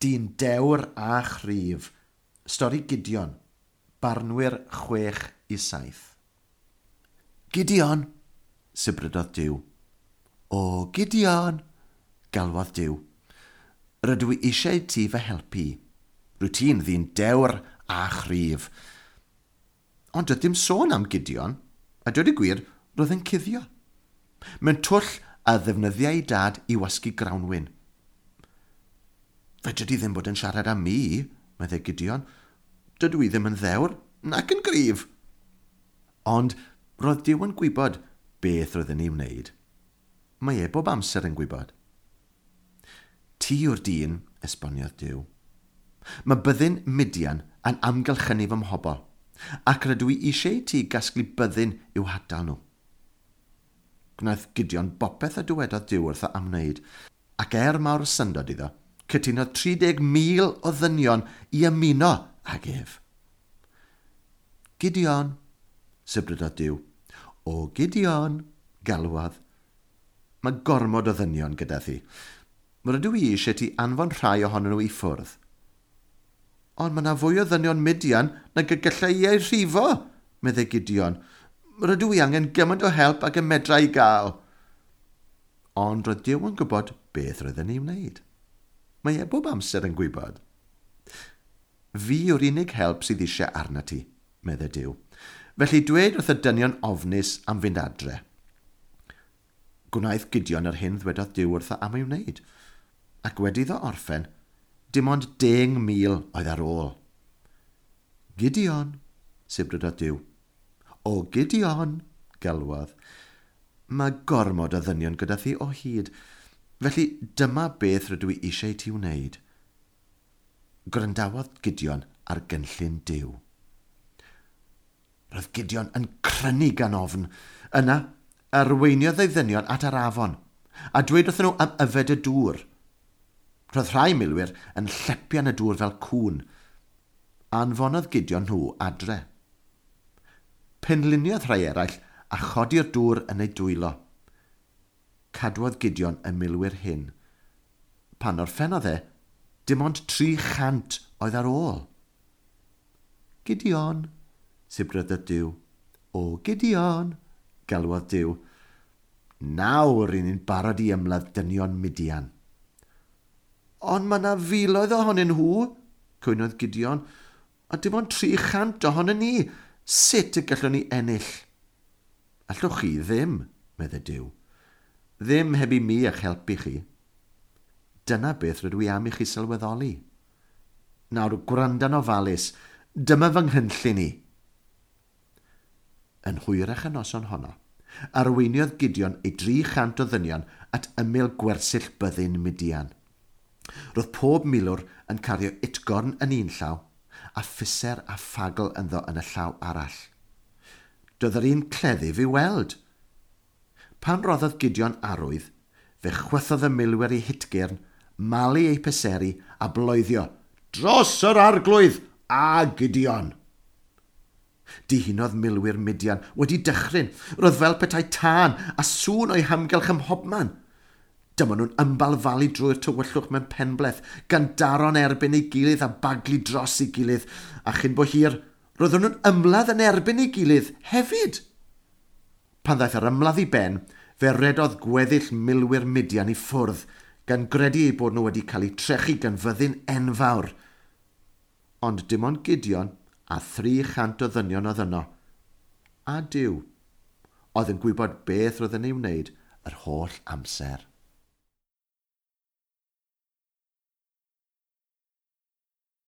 Dyn dewr a chryf. Stori Gideon. Barnwyr 6 i 7. "Gideon!" sibrydodd Duw. "O, Gideon!" galwodd Duw. "Rydw i eisiau ti fy helpu. Rwyt ti'n ddyn dewr a chryf." Ond doedd dim sôn am Gideon, a dweud y gwir, roedd yn cuddio mewn twll a ddefnyddiai ei dad i wasgu grawnwin. "Fedri di ddim bod yn siarad â mi," meddai Gideon. "Dydw i ddim yn ddewr, nac yn gryf." Ond roedd Duw yn gwybod beth roedd yn ei wneud. Mae e bob amser yn gwybod. "Ti yw'r dyn," esboniodd Duw. "Mae byddin Midian yn amgylchynu fy mhobl, ac rydw i eisiau ti gasglu byddin i'w hatal nhw." Gwnaeth Gideon bopeth a dywedodd Duw wrtho am wneud, ac er mawr syndod iddo, cytunodd 30,000 o ddynion i ymuno ag ef. "Gideon," sibrydodd Duw. "O, Gideon," galwodd. "Mae gormod o ddynion gyda thi. Rydw i eisiau ti anfon rhai ohonyn nhw i ffwrdd." "Ond mae yna fwy o ddynion Midian nag y gallai i eu rhifo," meddai Gideon. "Rydw i angen gymaint o help ag y medra i gael." Ond roedd Duw yn gwybod beth roedd yn ei wneud. Mae e bob amser yn gwybod. "Fi yw'r unig help sydd eisiau arna ti," meddai Duw. "Felly dwed wrth y dynion ofnus am fynd adre." Gwnaeth Gideon yr hyn ddwedodd Duw wrtho am ei wneud, ac wedi iddo orffen, dim ond 10,000 oedd ar ôl. "Gideon," sibrydodd Duw. "O, Gideon," galwodd. "Mae gormod o ddynion gyda thi o hyd. Felly dyma beth rydw i eisiau ti wneud." Gwrandawodd Gideon ar gynllun Duw. Roedd Gideon yn crynu gan ofn. Yna, arweiniodd ei ddynion at yr afon, a dweud wrthyn nhw am yfed y dŵr. Roedd rhai milwyr yn llepian y dŵr fel cŵn. Anfonodd Gideon nhw adre. Penliniodd rhai eraill a chodi'r dŵr yn ei dwylo. Cadwodd Gideon y milwyr hyn. Pan orffennodd e, dim ond 300 oedd ar ôl. "Gideon," sibrydodd Duw. "O, Gideon," galwodd Duw. "Nawr i ni'n barod i ymladd dynion Midian." "Ond mae yna filoedd ohonyn nhw," cwynodd Gideon, "a dim ond 300 ohonyn ni. Sut y gallwn ni ennill?" "Allwch chi ddim," meddai Duw. "Ddim heb i mi eich helpu chi. Dyna beth rydw i am i chi sylweddoli. Nawr, gwranda'n ofalus, dyma fy nghynllun i." Yn hwyrach y noson honno, arweiniodd Gideon ei 300 o ddynion at ymyl gwersyll byddin Midian. Roedd pob milwr yn cario utgorn yn un llaw a phiser a ffagl ynddo yn y llaw arall. Doedd yr un cleddyf i weld. Pan roddodd Gideon arwydd, fe chwythodd y milwyr eu hutgyrn, malu eu piseri a bloeddio, "Dros yr Arglwydd a Gideon!" Dihunodd milwyr Midian wedi dychryn. Roedd fel petai tân a sŵn o'u hamgylch ym mhobman. Dyma nhw'n ymbalfalu drwy'r tywyllwch mewn penbleth, gan daro'n erbyn ei gilydd a baglu dros ei gilydd, a chyn bo hir, roeddwn nhw'n ymladd yn erbyn ei gilydd hefyd. Pan ddaeth yr ymladd i ben, fe redodd gweddill milwyr Midian i ffwrdd, gan gredu eu bod nhw wedi cael eu trechu gan fyddin enfawr. Ond dim ond Gideon a 300 o ddynion oedd yno. A Duw, oedd yn gwybod beth roedd yn ei wneud yr holl amser.